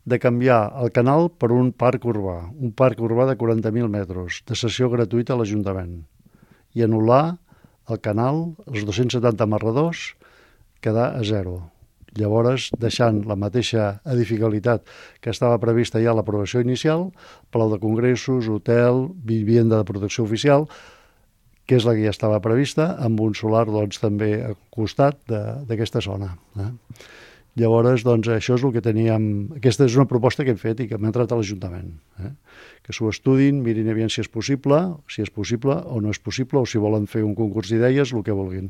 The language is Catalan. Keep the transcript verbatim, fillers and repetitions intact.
de canviar el canal per un parc urbà, un parc urbà de quaranta mil metres, de cessió gratuïta a l'Ajuntament, i anul·lar el canal, els dos-cents setanta amarradors, quedar a zero. Llavors, deixant la mateixa edificabilitat que estava prevista ja a l'aprovació inicial, Palau de Congressos, hotel, vivienda de protecció oficial, que és la que ja estava prevista, amb un solar doncs, també al costat d'aquesta zona. Eh? Llavors, doncs, això és el que teníem... Aquesta és una proposta que hem fet i que hem entrat a l'Ajuntament. Eh? Que s'ho estudin, mirin aviam si és possible, si és possible o no és possible, o si volen fer un concurs d'idees, el que vulguin.